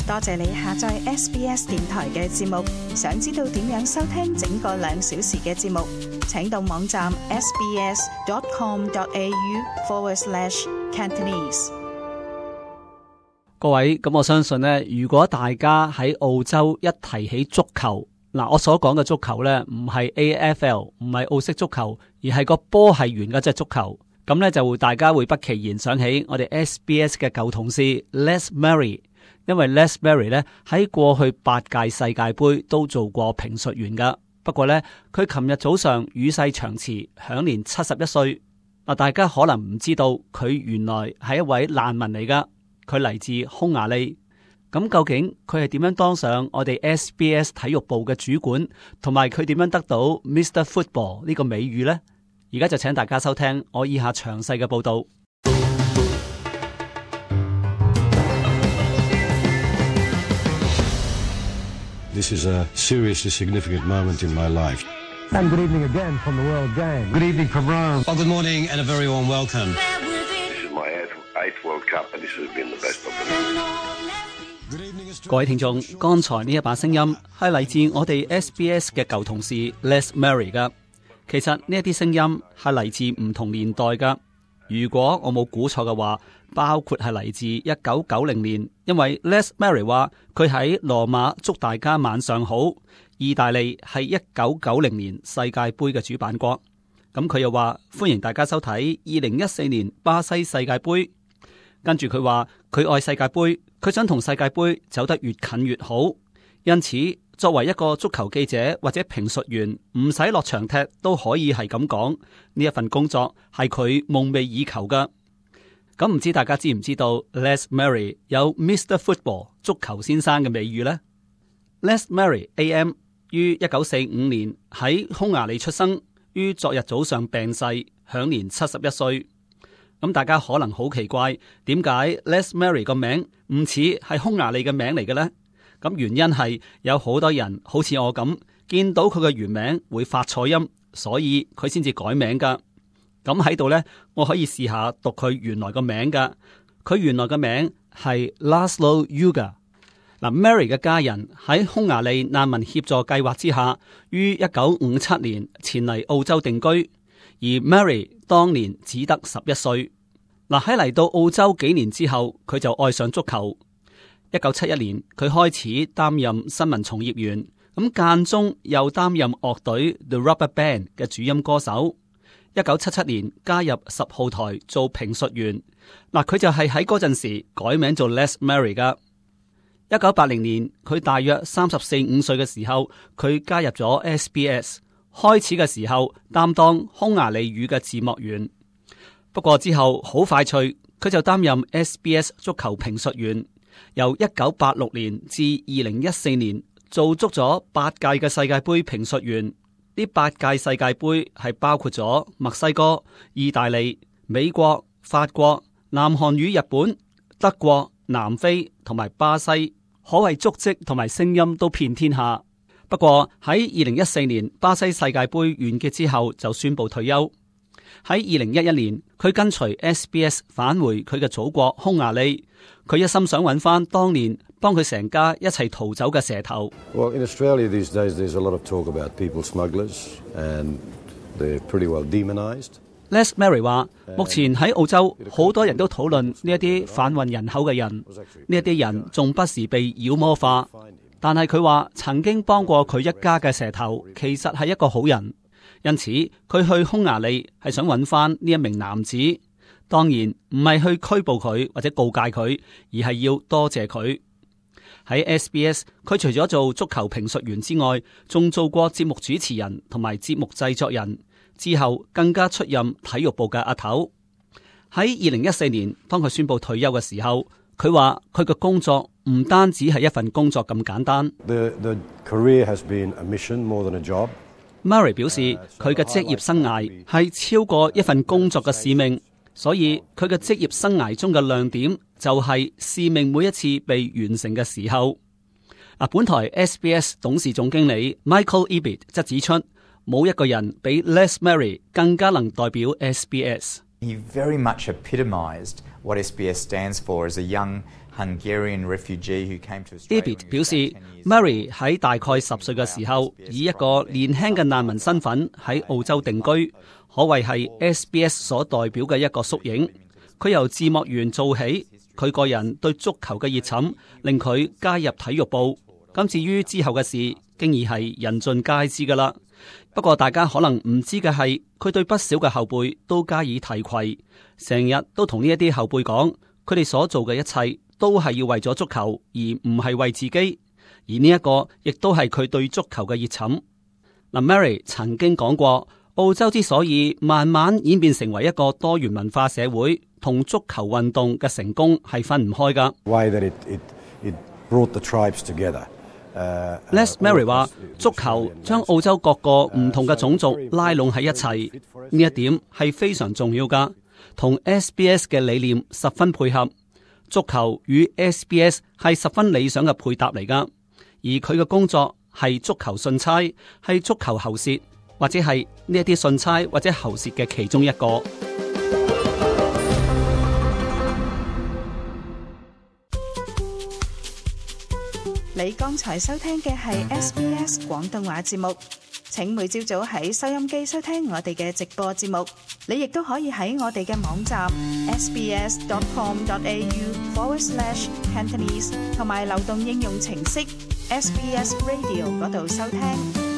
多謝你下載 SBS 電台嘅節目。想知道點樣收聽整個2小時嘅節目，請到網站 sbs.com.au/Cantonese。各位，咁我相信呢，如果大家喺澳洲一提起足球，我所講嘅足球呢，唔係 AFL， 唔係澳式足球，而係個波係圓嗰隻足球。咁呢，就會大家會不其然想起我哋 SBS 嘅舊同事 Les Murray， 因為 Les Murray 呢喺過去8屆世界盃都做過評述員噶。不過呢，佢琴日早上與世長辭，享年71歲。大家可能唔知道佢原來係一位難民嚟噶。佢嚟自匈牙利，咁究竟佢係點樣當上我哋 SBS 體育部嘅主管，同埋佢點樣得到 Mr. Football 呢個美譽呢？而家就請大家收聽我以下詳細嘅報道。This is a seriously significant moment in my life. And good evening again from the World Game. Good evening from Rome. Well, good morning and a very warm welcome. This is my eighth World Cup, and this has been the best of them. 各位聽眾，剛才呢一把聲音係嚟自我哋 SBS 嘅舊同事 Les Murray 噶。其實呢一啲聲音係嚟自唔同年代噶。如果我冇估錯嘅話，包括係嚟自1990年，因為 Les Murray 話佢喺羅馬祝大家晚上好。意大利係1990年世界盃嘅主辦國。咁佢又話歡迎大家收睇2014年巴西世界盃。跟住佢話佢愛世界盃，佢想同世界盃走得越近越好。因此作為一個足球記者或者評述員，唔使落場踢都可以係咁講，呢一份工作係佢夢寐以求噶。咁唔知大家知唔知道 Les Murray 有 Mr. Football 足球先生嘅美譽呢？ Les Murray AM 於1945年喺匈牙利出生，於昨日早上病逝，享年71歲。咁大家可能好奇怪，點解 Les Murray 個名唔似係匈牙利嘅名嚟嘅呢？咁原因係有好多人好似我咁，見到佢嘅原名會發錯音，所以佢先至改名噶。咁喺度呢，我可以試下讀佢原來個名噶。佢原來嘅名係 Laszlo Ugar。Murray 嘅家人喺匈牙利難民協助計劃之下，於1957年前嚟澳洲定居，而 Murray 當年只得11歲。喺嚟到澳洲幾年之後，佢就愛上足球。1971年，佢開始擔任新聞從業員，咁間中又擔任樂隊 The Rubber Band 嘅主音歌手。1977年加入10號台做評述員，佢就係喺嗰陣時改名做 Les Murray 噶。1980年，佢大約34-35歲嘅時候，佢加入咗 SBS， 開始嘅時候擔當匈牙利語嘅字幕員。不過之後好快脆，佢就擔任 SBS 足球評述員。由1986年至2014年，做足咗8屆嘅世界盃評述員。呢8屆世界盃係包括咗墨西哥、意大利、美國、法國、南韓與日本、德國、南非同埋巴西，可謂足跡同埋聲音都遍天下。不過喺2014年巴西世界盃完結之後，就宣布退休。喺2011年，佢跟隨 SBS 返回佢嘅祖國匈牙利。佢一心想揾翻當年幫佢成家一齊逃走嘅蛇頭。Well, in Australia these days there's a lot of talk about people smugglers and they're pretty well demonized. Les Murray 話，目前喺澳洲好多人都討論呢一啲販運人口嘅人，呢一啲人仲不時被妖魔化。但係佢話曾經幫過佢一家嘅蛇頭，其實係一個好人。因此佢去匈牙利係想揾翻呢一名男子。當然唔係去拘捕佢或者告誡佢，而係要多謝佢。喺 SBS， 佢除咗做足球評述員之外，仲做過節目主持人同埋節目製作人。之後更加出任體育部嘅阿頭。喺2014年，當佢宣布退休嘅時候，佢話佢嘅工作唔單止係一份工作咁簡單。The career has been a mission more than a job. Murray 表示佢嘅職業生涯係超過一份工作嘅使命。所以佢嘅職業生涯中嘅亮點就係使命每一次被完成嘅時候。本台 SBS 董事總經理 Michael Ebert 則指出，冇一個人比 Les Murray 更加能代表 SBS。He very much epitomised what SBS stands for as a young Hungarian refugee who came to Australia. David 表示 ，Mary 喺大概10歲嘅時候，以一個年輕嘅難民身份喺澳洲定居，可謂係 SBS 所代表嘅一個縮影。佢由字幕員做起，佢個人對足球嘅熱忱令佢加入體育部。咁至於之後嘅事，經已係人盡皆知噶啦。不過大家可能唔知嘅係，佢對不少嘅後輩都加以提攜，成日都同呢一啲後輩講，佢哋所做嘅一切都係要為咗足球，而唔係為自己。而呢一個亦都係佢對足球嘅熱忱。嗱，Mary 曾經講過，澳洲之所以慢慢演變成為一個多元文化社會，同足球運動嘅成功係分唔開噶。It brought the tribes together. Les Mary 話，足球將澳洲各個唔同嘅種族拉攏喺一齊，呢一點係非常重要噶，同 SBS 嘅理念十分配合。足球與 SBS 係十分理想嘅配搭嚟噶，而佢嘅工作係足球信差，係足球喉舌，或者係呢一啲信差或者喉舌嘅其中一個。你剛才收聽嘅係 SBS 廣東話節目，請每朝早喺收音機收聽我哋嘅直播節目。你亦都可以喺我哋嘅網站 sbs.com.au/Cantonese 同埋流動應用程式 SBS Radio 嗰度收聽。